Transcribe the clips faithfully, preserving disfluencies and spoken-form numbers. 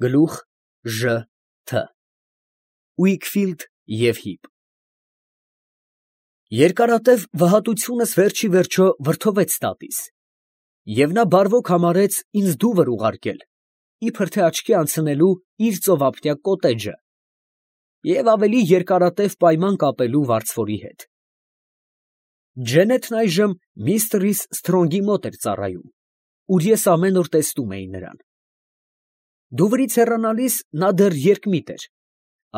Գլուխ Ժ Թ Ուիքֆիլդ և Հիպ Երկարատև վհատությունս վերջ ի վերջո վրդովեց տատիս, և նա բարվոք համարեց ինձ դուվր ուղարկել, իբր թե աչքի անցնելու իր ծովափնյա կոտեջը և ավելի երկարատև պայման կապելու վարձվորի հետ։ Ջեննետն այժմ միստր Սթրոնգի մոտ էր ծառայում, ուր ես ամեն օր տեսնում էի նրան։ Դուվրից հեռանալիս նա դեռ երկմիտ էր.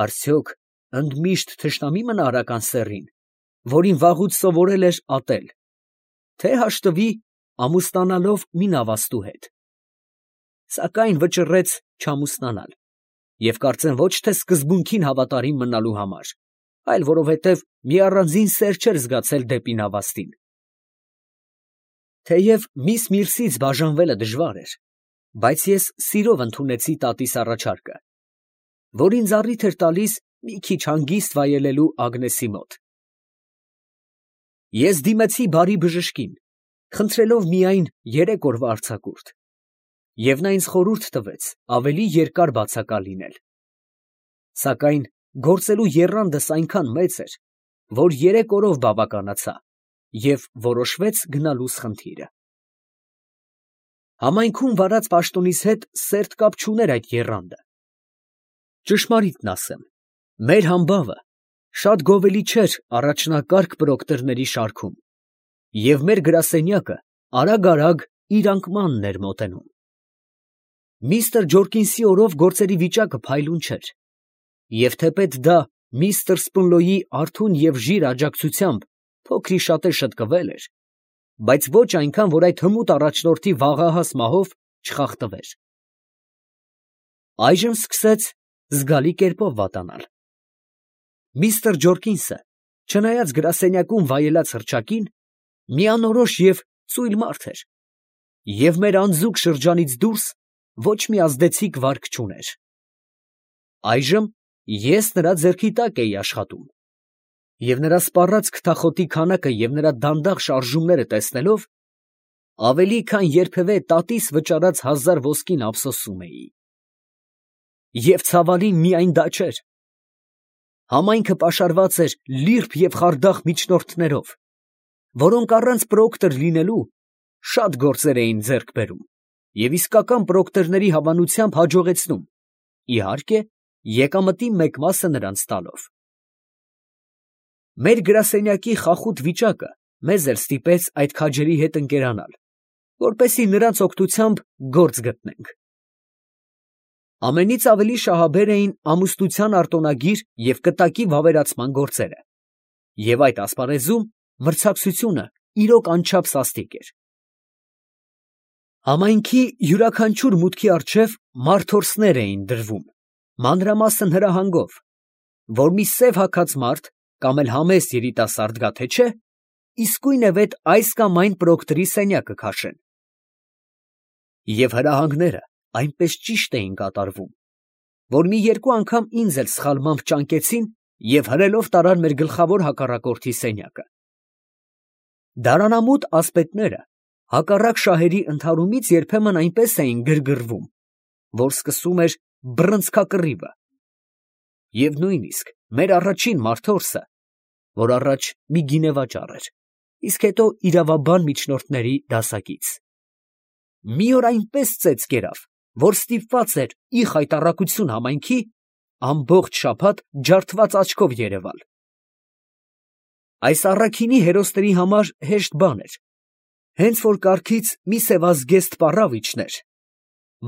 արդյոք ընդմիշտ թշնամի մնա արական սեռին, որին վաղուց սովորել էր ատել, թե հաշտվի ամուսնանալով մի նավաստու հետ։ Սակայն վճռեց չամուսնանալ, և կարծեմ ոչ թե սկզբունքին հավատարիմ մնալու համար, այլ որովհետև մի առանձին սեր չէր զգացել դեպի նավաստին։ Թեև միս Միրսից բաժանվելը դժվար էր, բայց ես սիրով ընդունեցի տատիս առաջարկը, որ ինձ առիթ էր տալիս մի քիչ հանգիստ վայելելու Ագնեսի մոտ։ Ես դիմեցի բարի բժշկին, խնդրելով միայն երեք օրվա արձակուրդ, և նա ինձ խորհուրդ տվեց ավելի երկար բացակալ լինել։ Սակայն գործելու եռանդս այնքան մեծ էր, որ երեք օրով բավականացա, և որոշվեց գնալուս խնդիրը։ Համայնքում վարած պաշտոնիս հետ սերտ կապ չուներ այդ եռանդը։ Ճշմարիտն ասեմ, մեր համբավը շատ գովելի չէր առաջնակարգ պրոկտորների շարքում, և մեր գրասենյակը արագ֊արագ իր անկմանն էր մոտենում։ Միստր Ջորկինսի օրով գործերի վիճակը փայլուն չէր, և թեպետ դա միստր Սպունլոյի արթուն և ժիր աջակցությամբ փոքր-ի-շատե շտկվել էր, բայց ոչ այնքան, որ այդ հմուտ առաջնորդի վաղահաս մահով չխախտվեր։ Այժմ սկսեց զգալի կերպով վատանալ։ Միստր Ջորկինսը, չնայած գրասենյակում վայելած հռչակին, մի անորոշ և ծույլ մարդ էր, և մեր անձուկ շրջանից դուրս ոչ մի ազդեցիկ վարք չուներ։ Այժմ ես նրա ձեռքի տակ էի աշխատում, և նրա սպառած քթախոտի քանակը և նրա դանդաղ շարժումները տեսնելով, ավելի քան երբևէ տատիս վճարած հազար ոսկին ափսոսում էի։ Եվ ցավալին միայն դա չէր. համայնքը պաշարված էր լիրբ և խարդախ միջնորդներով, որոնք առանց պրոկտոր լինելու շատ գործեր էին ձեռք բերում և իսկական պրոկտորների հավանությամբ հաջողեցնում, իհարկե, եկամտի մեկ մասը նրանց տալով։ Մեր գրասենյակի խախուտ վիճակը մեզ էլ ստիպեց այդ քաջերի հետ ընկերանալ, որպեսզի նրանց օգնությամբ գործ գտնենք։ Ամենից ավելի շահաբեր էին ամուսնության արտոնագիր և կտակի վավերացման գործերը, և այդ ասպարեզում մրցակցությունը իրոք անչափ սաստիկ էր։ Համայնքի յուրաքանչյուր մուտքի առջև մարդորսներ էին դրվում, մանրամասն հրահանգով, որ մի սև հագած մարդ կամ էլ համեստ երիտասարդ գա թե չէ, իսկույնևեթ այս կամ այն պրոկտորի սենյակը քաշեն։ Եվ հրահանգները այնպես ճիշտ էին կատարվում, որ մի երկու անգամ ինձ էլ սխալմամբ ճանկեցին և հրելով տարան մեր գլխավոր հակառակորդի սենյակը։ Դարանամուտ ասպետները հակառակ շահերի ընդհարումից երբեմն այնպես էին գրգռվում, որ սկսում էր բռնցքակռիվը։ Եվ նույնիսկ մեր առաջին մարդորսը, որ առաջ մի գինեվաճառ էր, իսկ հետո իրավաբան միջնորդների դասակից, մի օր այնպես ծեծ կերավ, որ ստիպված էր ի խայտառակություն համայնքի ամբողջ շաբաթ ջարդված աչքով երևալ։ Այս առաքինի հերոսների համար հեշտ բան էր, հենց որ կառքից մի սևազգեստ պառավ իջներ,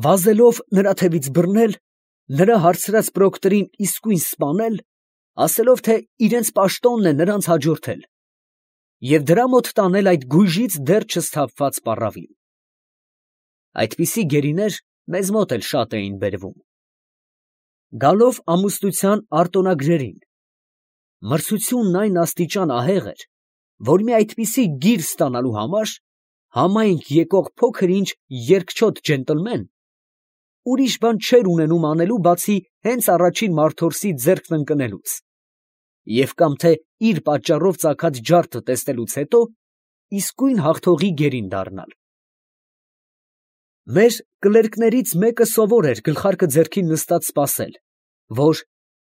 վազելով նրա թևից բռնել, նրա հարցրած պրոկտորին իսկույն սպանել, ասելով, թե իրենց պաշտոնն է նրանց հաջորդել, և դրա մոտ տանել այդ գույժից դեռ չսթափված պառավին։ Այդպիսի գերիներ մեզ մոտ էլ շատ էին բերվում։ Գալով ամուսնության արտոնագրերին, մրցությունն այն աստիճան ահեղ էր, որ մի այդպիսի գիր ստանալու համար համայնք եկող փոքր-ինչ երկչոտ ջենտլմեն ուրիշ բան չէր ունենում անելու, բացի հենց առաջին մարդորսի ձեռքն ընկնելուց, և կամ թե իր պատճառով ծագած ջարդը տեսնելուց հետո իսկույն հաղթողի գերին դառնալ։ Մեր կլերկներից մեկը սովոր էր գլխարկը ձեռքին նստած սպասել, որ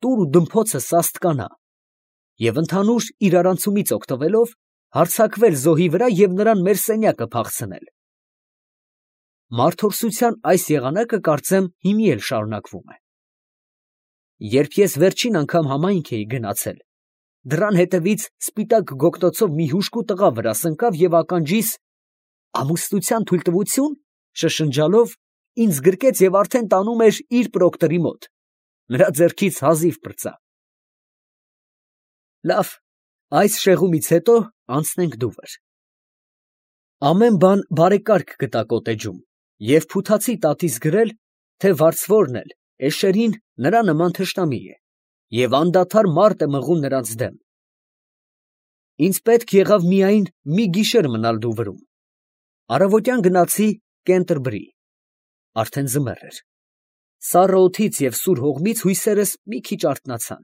տուր ու դմփոցը սաստկանա, և ընդհանուր իրարանցումից օգտվելով հարձակվել զոհի վրա և նրան մեր սենյակը փախցնել։ Մարդորսության այս եղանակը, կարծեմ, հիմի էլ շարունակվում է։ Երբ ես վերջին անգամ համայնք էի գնացել, դռան հետևից սպիտակ գոգնոցով մի հուժկու տղա վրաս ընկավ և ականջիս «ամուսնության թույլտվությո՞ւն» շշնջալով ինձ գրկեց և արդեն տանում էր իր պրոկտորի մոտ, նրա ձեռքից հազիվ պրծա։ Լավ, այս շեղումից հետո անցնենք դուվր։ Ամեն բան բարեկարգ գտա կոտեջում, և փութացի տատիս գրել, թե վարձվորն էլ էշերին նրա նման թշնամի է, և անդադար մարդ է մղում նրանց դեմ։ Ինձ պետք եղավ միայն մի գիշեր մնալ դուվրում։ Առավոտյան գնացի Կենտերբրի, արդեն ձմեռ էր։ Սառը օդից և սուր հողմից հույսերս մի քիչ արթնացան։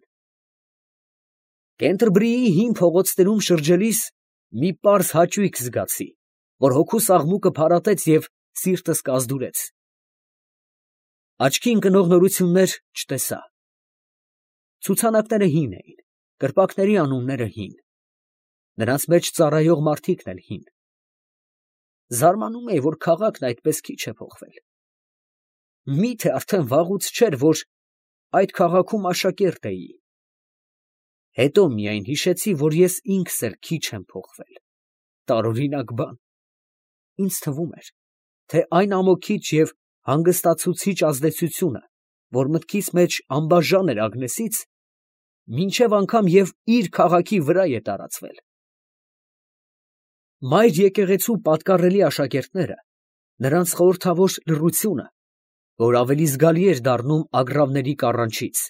Կենտերբրիի հին փողոցներում շրջելիս մի պարզ հաճույք զգացի, որ հոգուս աղմուկը փարատեց և սիրտս կազդուրեց։ Աչքի ընկնող նորություններ չտեսա։ Ցուցանակները հին էին, կրպակների անունները հին, նրանց մեջ ծառայող մարդիկն էլ հին։ Զարմանում էի, որ քաղաքն այդպես քիչ է փոխվել։ Մի՞թե արդեն վաղուց չէր, որ այդ քաղաքում աշակերտ էի։ Հետո միայն հիշեցի, որ ես ինքս էլ քիչ եմ փոխվել, տարօրինակ բան։ Ինձ թվում էր, թե այն ամոքիչ և հանգստացուցիչ ազդեցությունը, որ մտքիս մեջ անբաժան էր Ագնեսից, մինչև անգամ և իր քաղաքի վրա է տարածվել։ Մայր եկեղեցու պատկառելի աշակերտները, նրանց խորհրդավոր լռությունը, որ ավելի զգալի էր դառնում ագռավների կառանչից,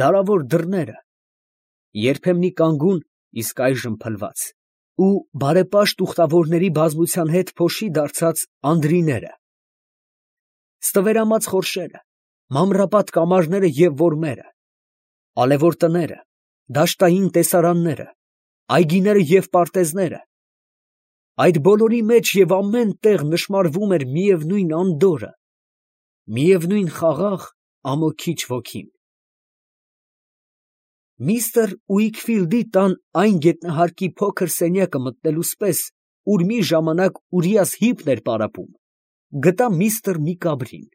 դարավոր դռները, երբեմնի կանգուն, իսկ այժմ փլված, ու բարեպաշտ ուխտավորների բազմության հետ փոշի դարձած անդրիները, ստվերամած խորշերը, մամռապատ կամարները և որմերը, ալևոր տները, դաշտային տեսարանները, այգիները և պարտեզները, այդ բոլորի մեջ և ամեն տեղ նշմարվում էր միևնույն անդորրը, միևնույն խաղաղ, ամոքիչ ոգին։ Միստր Ուիքֆիլդի տան այն գետնահարկի փոքր սենյակը մտնելուց պես, ուր մի ժամանակ Ուրիաս հիպն էր պարապում, գտա միստր Միկաբրին,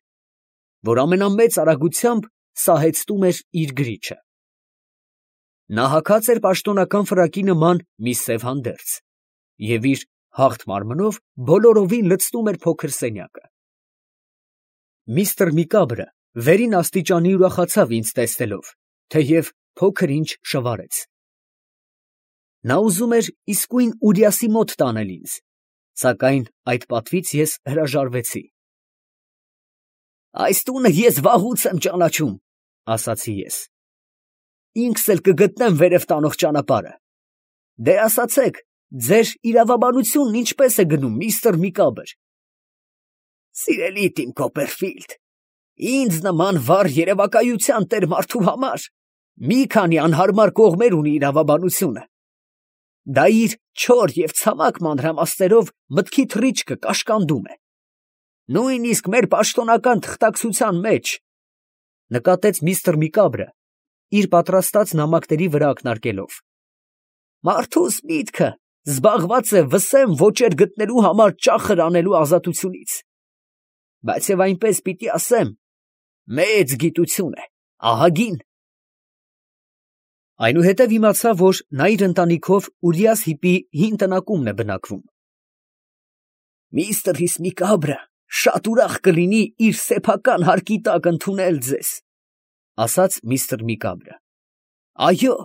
որ ամենամեծ արագությամբ սահեցնում էր իր գրիչը։ Նա հագած էր պաշտոնական ֆրակի նման մի սև հանդերձ և իր հաղթ մարմնով բոլորովին լցնում էր փոքր սենյակը։ Միստր Միկաբրը վերին աստիճանի ուրախացավ ինձ տեսնելով, թեև փոքր ինչ շվարեց։ Նա ուզում էր իսկույն Ուրիասի մոտ տանել ինձ, սակայն այդ պատվից ես հրաժարվեցի։ «Այս տունը ես վաղուց եմ ճանաչում, ֊ ասացի ես, ֊ ինքս էլ կգտնեմ վերև տանող ճանապարհը։ Դե ասացեք, ձեր իրավաբանությունն ինչպես է գնում, միստր Միկաբր»։ «Սիրելի Տիմ Կոպերֆիլդ, ինձ նման վառ երևակայության տեր մարդու համար մի քանի անհարմար կողմեր ունի իրավաբանությունը. դա իր չոր և ցամաք մանրամասներով մտքի թռիչքը կաշկանդում է։ Նույնիսկ մեր պաշտոնական թղթակցության մեջ, ֊ նկատեց միստր Միկաբրը, իր պատրաստած նամակների վրա ակնարկելով, ֊ մարդուս միտքը զբաղված է վսեմ ոճեր գտնելու համար ճախր անելու ազատությունից, բայց և այնպես պիտի ասեմ, մեծ գիտություն է, ահագին։ Այնուհետև իմացա, որ նա իր ընտանիքով Ուրիաս հիպի հին տնակումն է բնակվում։ «Միստր Միկաբրը շատ ուրախ կլինի իր սեփական հարկի տակ ընդունել ձեզ, ֊ ասաց միստր Միկաբրը։ Այո,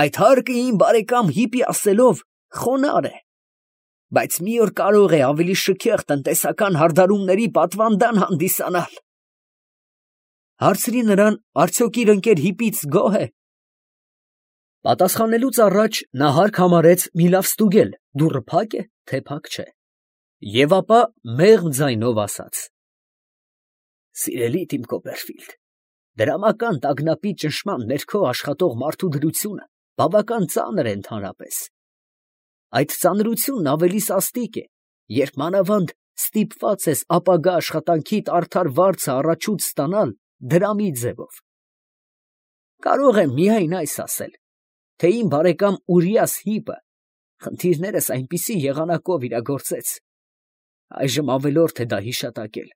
այդ հարկը իմ բարեկամ հիպի ասելով խոնարհ է, բայց մի օր կարող է ավելի շքեղ տնտեսական հարդարումների պատվանդան հանդիսանալ»։ Հարցրի նրան, արդյոք իր ընկեր հիպից գոհ է։ Պատասխանելուց առաջ նա հարկ համարեց մի լավ ստուգել, դուռը փա՞կ է, թե փակ չէ, և ապա մեղմ ձայնով ասաց. «Սիրելի Տիմ Կոպերֆիլդ, դրամական տագնապի ճնշման ներքո աշխատող մարդու դրությունը բավական ծանր է ընդհանրապես։ Այդ ծանրությունն ավելի սաստիկ է, երբ մանավանդ ստիպված ես ապագա աշխատանքիդ արդար վարձը առաջուց ստանալ դրամի ձևով։ Կարող եմ միայն այս ասել, թե իմ բարեկամ Ուրիաս Հիպը խնդիրներս այնպիսի եղանակով իրագործեց, այժմ ավելորդ է դա հիշատակել,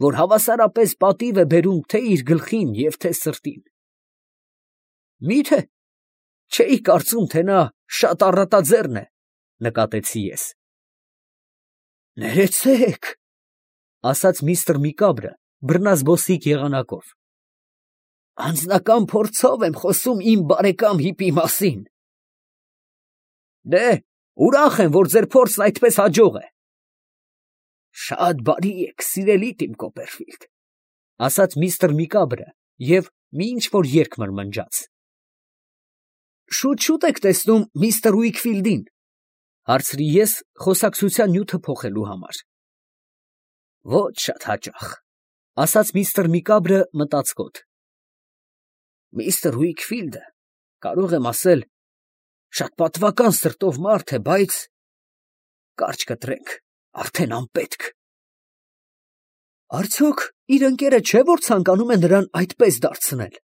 որ հավասարապես պատիվ է բերում թե իր գլխին և թե սրտին։ Մի՞թե չէի կարծում, թե նա շատ առատաձեռն է, նկատեցի ես։ Ներեցեք, ասաց միստր Միկաբրը բռնազբոսիկ եղանակով, անձնական փորձով եմ խոսում իմ բարեկամ Հիպի մասին։ Դե, ուրախ եմ, որ ձեր փորձն այդպես հաջող է։ Շատ բարի եք, սիրելի Տիմ Կոպերֆիլդ, ասաց միստր Միկաբրը և մի ինչ-որ երգ մրմնջաց։ Շուտ-շուտ եք տեսնում միստր Ուիքֆիլդին, հարցրի ես խոսակցության նյութը փոխելու համար։ Ոչ շատ հաճախ, ասաց միստր Միկաբրը մտածկոտ։ Միստր Ուիքֆիլդը, կարող եմ ասել, շատ պատվական սրտով մարդ է, բայց կարճ կտրենք, արդեն անպետք։ Արդյոք իր ընկերը չէ, որ ցանկանում է նրան այդպես դարձնել։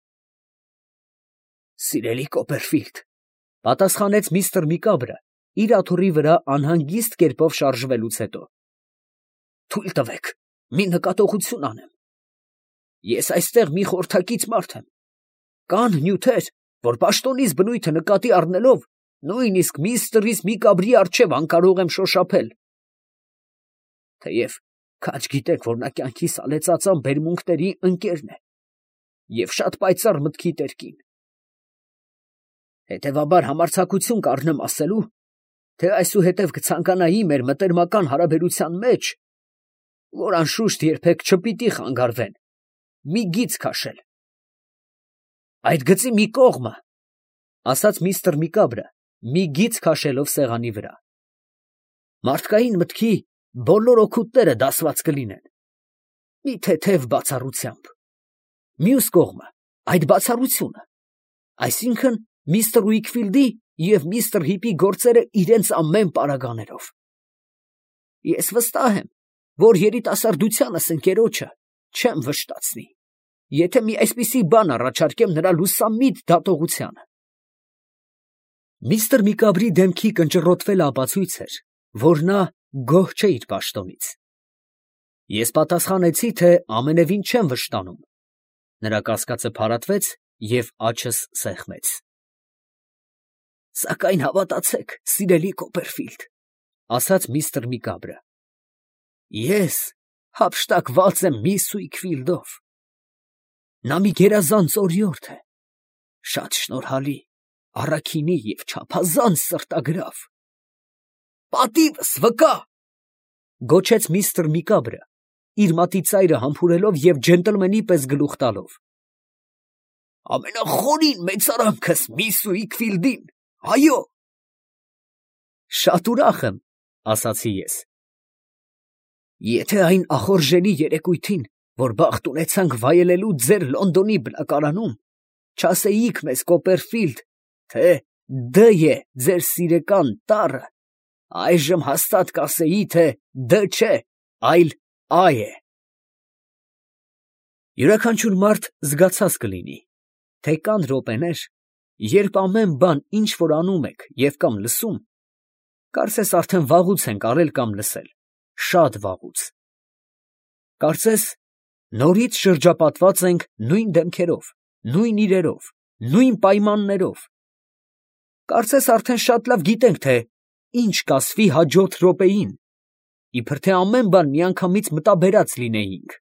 Սիրելի Կոպերֆիլդ, պատասխանեց միստր Միկաբրը, իր աթոռի վրա անհանգիստ կերպով շարժվելուց հետո։ Թույլ տվեք, մի նկատողություն անեմ։ Ես այստեղ մի խորհրդակից մարդ եմ։ Կան նյութեր, որ պաշտոնիս բնույթը նկատի առնելով, նույնիսկ միստր Միկաբրի առջև անկարող եմ շոշափել։ Թեև քաջ գիտեք, որ նա կյանքի սալեցածան բերմունքների ընկերն է և շատ պայծառ մտքի տերկին։ Հետևաբար համարձակություն կառնեմ ասելու, թե այսուհետև կցանկանայի մեր մտերմական հարաբերության մեջ, որ անշուշտ երբեք չպիտի խանգարվեն, մի գիծ քաշել։ Այդ գծի մի կողմը, ասաց միստր Միկաբրը, մի գիծ քաշելով սեղանի վրա, մարդկային մտքի բոլոր օգուտները դասված կլինեն, մի թեթև բացառությամբ։ Մյուս կողմը, այդ բացառությունը, այսինքն միստր Ուիքֆիլդի և միստր Հիպի գործերը իրենց ամեն պարագաներով։ Ես վստահ եմ, որ երիտասարդությանս ընկերոջը չեմ վշտացնի, եթե մի այսպիսի բան առաջարկեմ նրա լուսամիտ դատողությանը։ Միստր Միկաբրի դեմքի կնճռոտվելը ապացույց էր, որ նա գոհ չէ իր պաշտոնից։ Ես պատասխանեցի, թե ամենևին չեմ վշտանում։ Նրա կասկածը փարատվեց և աչս սեղմեց։ Սակայն հավատացեք, սիրելի Կոպերֆիլդ, ասաց միստր Միկաբրը, ես հափշտակված եմ միս Ուիքֆիլդով։ Նա մի գերազանց օրիորդ է, շատ շնորհալի, առաքինի և չափազանց սրտագրավ։ Պատիվս վկա, գոչեց միստր Միկաբրը, իր մատիծայրը համբուրելով և ջենտլմենի պես գլուխ տալով։ Ամենախորին մեծարանքս միս Ուիքֆիլդին, այո։ Շատ ուրախ եմ, ասացի ես։ Եթե այն ախորժելի երեկույթին, որ բախտ ունեցանք վայելելու ձեր Լոնդոնի բնակարանում, չասեիք մեզ Կոպերֆիլդ, թե Դ է ձեր սիրեկան տառը, այժմ հաստատ կասեի, թե Դ չէ, այլ Ա է։ Յուրաքանչյուր մարդ զգացած կլինի, թե կան րոպեներ, երբ ամեն բան, ինչ որ անում եք և կամ լսում, կարծես արդեն վաղուց ենք արել կամ լսել, շատ վաղուց։ Կարծես նորից շրջապատված ենք նույն դեմքերով, նույն իրերով, նույն պայմաններով։ Կարծես արդեն շատ լավ գիտենք, թե ինչ կասվի հաջորդ րոպեին, իբր թե ամեն բան միանգամից մտաբերած լինեինք։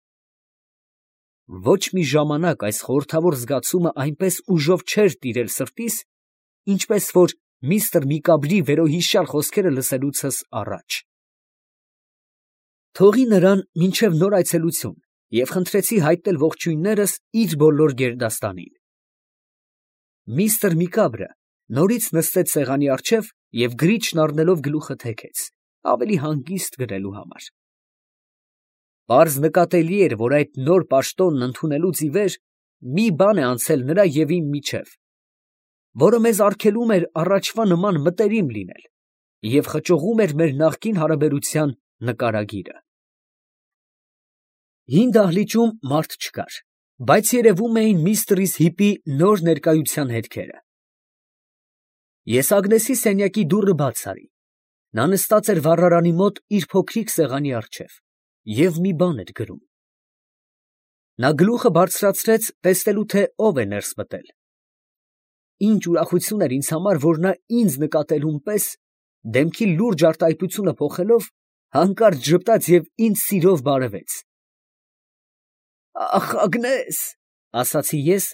Ոչ մի ժամանակ այս խորհրդավոր զգացումը այնպես ուժով չէր տիրել սրտիս, ինչպես որ միստր Միկաբրի վերոհիշյալ խոսքերը լսելուցս առաջ։ Թողի նրան մինչև նոր այցելություն և խնդրեցի հայտնել ողջույններս իր բոլոր գերդաստանին։ Միստր Միկաբրը նորից նստեց սեղանի առջև և գրիչն առնելով գլուխը թեքեց, ավելի հանգիստ գրելու համար։ Պարզ նկատելի էր, որ այդ նոր պաշտոնն ընդունելուց ի վեր մի բան է անցել նրա և իմ միջև, որը մեզ արգելում էր առաջվա նման մտերիմ լինել և խճողում էր մեր նախկին հարաբերության նկարագիրը։ Հին դահլիճում մարդ չկար, բայց երևում էին միստր Հիպի նոր ներկայության հետքերը։ Ես Ագնեսի սենյակի դուռը բաց արի. նա նստած էր վառարանի մոտ իր փոքրիկ սեղանի առջև և մի բան էր գրում։ Նա գլուխը բարձրացրեց, տեսնելու, թե ով է ներս մտել։ Ինչ ուրախություն էր ինձ համար, որ նա ինձ նկատելուն պես, դեմքի լուրջ արտահայտությունը փոխելով, հանկարծ ժպտաց և ինձ սիրով բարևեց։ «Ախ, Ագնես, ֊ ասացի ես,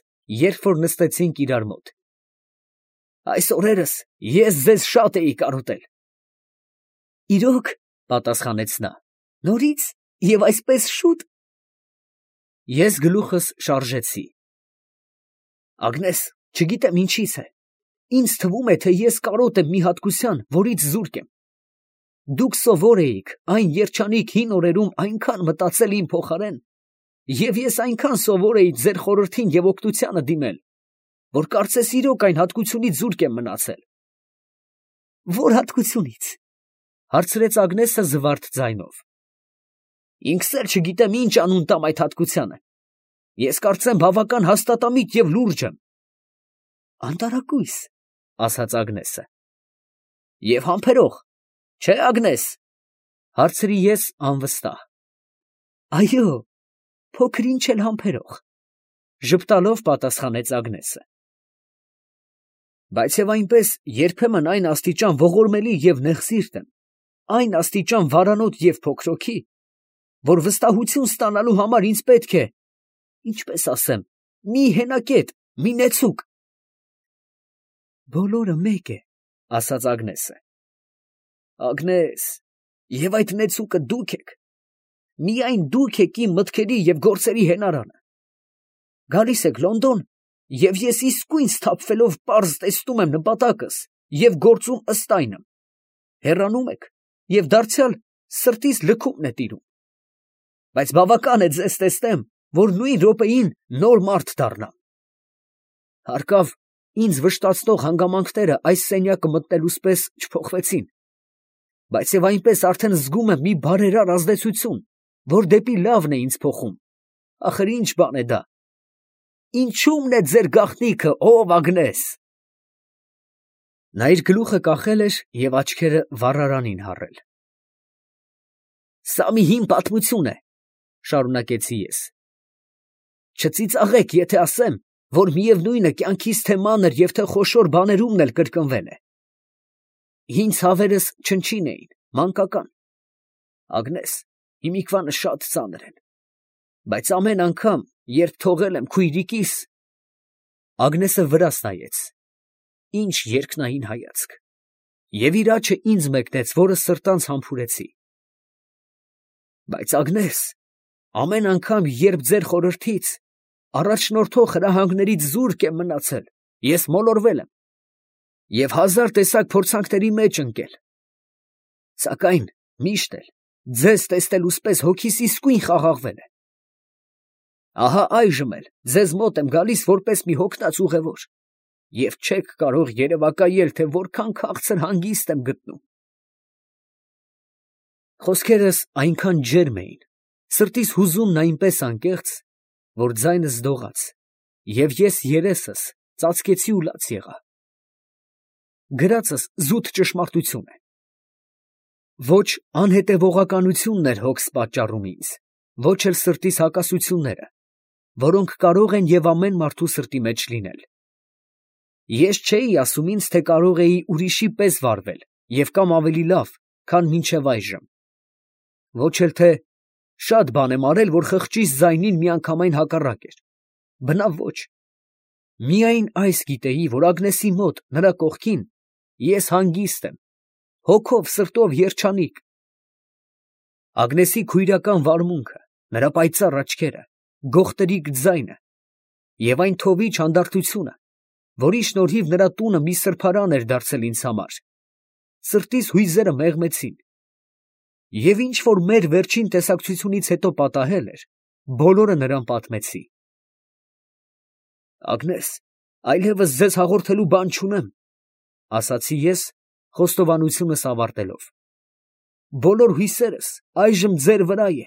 երբ որ նստեցինք իրար մոտ, ֊ այս օրերս ես ձեզ շատ էի կարոտել»։ ֊ Իրո՞ք, ֊ պատասխանեց նա, ֊ նորից և այսպես շո՞ւտ։ Ես գլուխս շարժեցի։ Ագնես, չգիտեմ ինչից է, ինձ թվում է, թե ես կարոտ եմ մի հատկության, որից զուրկ եմ։ Դուք սովոր էիք այն երջանիկ հին օրերում այնքան մտածել իմ փոխարեն, և ես այնքան սովոր էի ձեր խորհրդին և օգնությանը դիմել, որ կարծես իրոք այն հատկությունից զուրկ եմ մնացել։ ֊ Ո՞ր հատկությունից, ֊ հարցրեց Ագնեսը զվարթ ձայնով։ ֊ Ինքս էլ չգիտեմ ինչ անուն տամ այդ հատկությանը. ես կարծեմ բավական հաստատամիտ և լուրջ եմ։ ֊ Անտարակույս, ֊ ասաց Ագնեսը։ ֊ Եվ համբերող, չէ՞, Ագնես, ֊ հարցրի ես անվստահ։ ֊ Այո, փոքր ինչ էլ համբերող, ֊ ժպտալով պատասխանեց Ագնեսը։ Բայց և այնպես երբեմն այն աստիճան ողորմելի և նեղսիրտ եմ, այն աստիճան վարանոտ և փոքրոքի, որ վստահություն ստանալու համար ինձ պետք է, ինչպես ասեմ, մի հենակետ, մի նեցուկ։ ֊ Բոլորը մեկ է, ֊ ասաց Ագնեսը։ ֊ Ագնես, և այդ նեցուկը դուք եք, միայն դուք եք իմ մտքերի և գործերի հենարանը։ Գալիս եք Լոնդոն, և ես իսկույն սթափվելով պարզ տեսնում եմ նպատակս և գործում ըստ այն եմ. հեռանում եք, և դարձյալ սրտիս լքումն է տիրում։ Բայց բավական է ձեզ տեսնեմ, որ նույն րոպեին նոր մարդ դառնամ։ Հարկավ, ինձ վշտացնող հանգամանքները այս սենյակը մտնելուս պես չփոխվեցին, բայց և այնպես արդեն զգում եմ մի բարերար ազդեցություն, որ դեպի լավն է ինձ փոխում։ Ախր ի՞նչ բան է դա։ Ինչո՞ւմն է ձեր գաղտնիքը, ով Ագնես։ Նա իր գլուխը կախել էր և աչքերը վառարանին հառել։ Սա մի հին պատմություն է, ֊ շարունակեցի ես. չծիծաղեք, եթե ասեմ, որ միևնույն է կյանքիս թե մանր և թե խոշոր բաներումն էլ կրկնվել է։ Հին ցավերս չնչին էին, մանկական։ Ագնես, հիմիկվանը շատ ծանր են, բայց ամեն անգամ, երբ թողել եմ քույրիկիս… Ագնեսը վրաս նայեց, ինչ երկնային հայացք, և իր աջը ինձ մեկնեց, որը սրտանց համբուրեցի։ Բայց Ագնես, ամեն անգամ, երբ ձեր խորհրդից, առաջնորդող հրահանգներից զուրկ եմ մնացել, ես մոլորվել եմ և հազար տեսակ փորձանքների մեջ ընկել, սակայն միշտ էլ ձեզ տեսնելուս պես հոգիս իսկույն խաղաղվել է։ Ահա այժմ էլ ձեզ մոտ եմ գալիս որպես մի հոգնած ուղևոր, և չեք կարող երևակայել, թե որքան քաղցր հանգիստ եմ գտնում։ Խոսքերս այնքան ջերմ էին, սրտիս հուզումն այնպես անկեղծ, որ ձայնս դողաց, և ես երեսս ծածկեցի ու լաց եղա։ Գրածս զուտ ճշմարտություն է։ Ոչ անհետևողականությունն էր հոգս պատճառում ինձ, ոչ էլ սրտիս հակասությունները, որոնք կարող են և ամեն մարդու սրտի մեջ լինել։ Ես չէի ասում ինձ, թե կարող էի ուրիշի պես վարվել և կամ ավելի լավ, քան մինչև այժմ, ոչ էլ թե շատ բան եմ արել, որ խղճիս ձայնին միանգամայն հակառակ էր, բնավ ոչ, միայն այս գիտեի, որ Ագնեսի մոտ, նրա կողքին, ես հանգիստ եմ, հոգով սրտով երջանիկ։ Ագնեսի քույրական վարմունքը, նրա պայծառ աչքերը, գողտրիկ ձայնը և այն թովիչ հանդարտությունը, որի շնորհիվ նրա տունը մի սրբարան էր դարձել ինձ համար, սրտիս հույզերը մեղմեցին, և ինչ որ մեր վերջին տեսակցությունից հետո պատահել էր, բոլորը նրան պատմեցի։ Ագնես, այլևս ձեզ հաղորդելու բան չունեմ, ֊ ասացի ես, խոստովանությունս ավարտելով։ բոլոր հույսերս այժմ ձեր վրա է։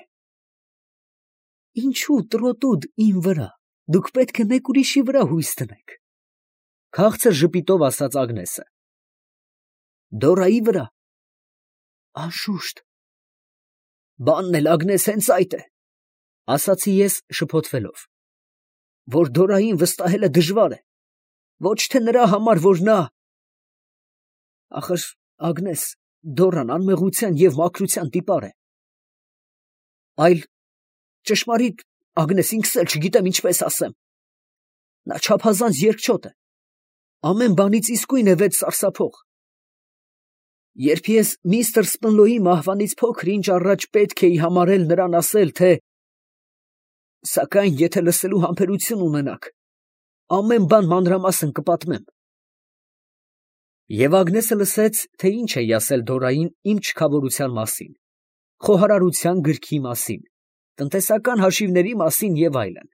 Ինչու տրոտուդ իմ վրա, դուք պետք է մեկ ուրիշի վրա հույս դնեք, քաղցր ժպիտով ասաց Ագնեսը։ Դորայի վրա։ Անշուշտ։ Բանն էլ Ագնես հենց այդ է, ասացի ես շփոթվելով, որ Դորային վստահելը դժվար է, ոչ թե նրա համար, որ նա… Ախր, Ագնես, Դորան անմեղության և մաքրության տիպար է։ Այլ ճշմարիտ, Ագնես, ինքս էլ չգիտեմ ինչպես ասեմ։ Նա չափազանց երկչոտ է, ամեն բանից իսկույն է վեց սարսափող։ Երբ ես միստր Սպնլոյի մահվանից փոքր ինչ առաջ պետք էի համարել նրան ասել, թե… Սակայն եթե լսելու համբերություն ունենաք, ամեն բան մանրամասն կպատմեմ։ Եվ Ագնեսը լսեց, թե ինչ էի ասել Դորային իմ չքավորության մասին, խոհարարության գրքի մասին, տնտեսական հաշիվների մասին և այլն։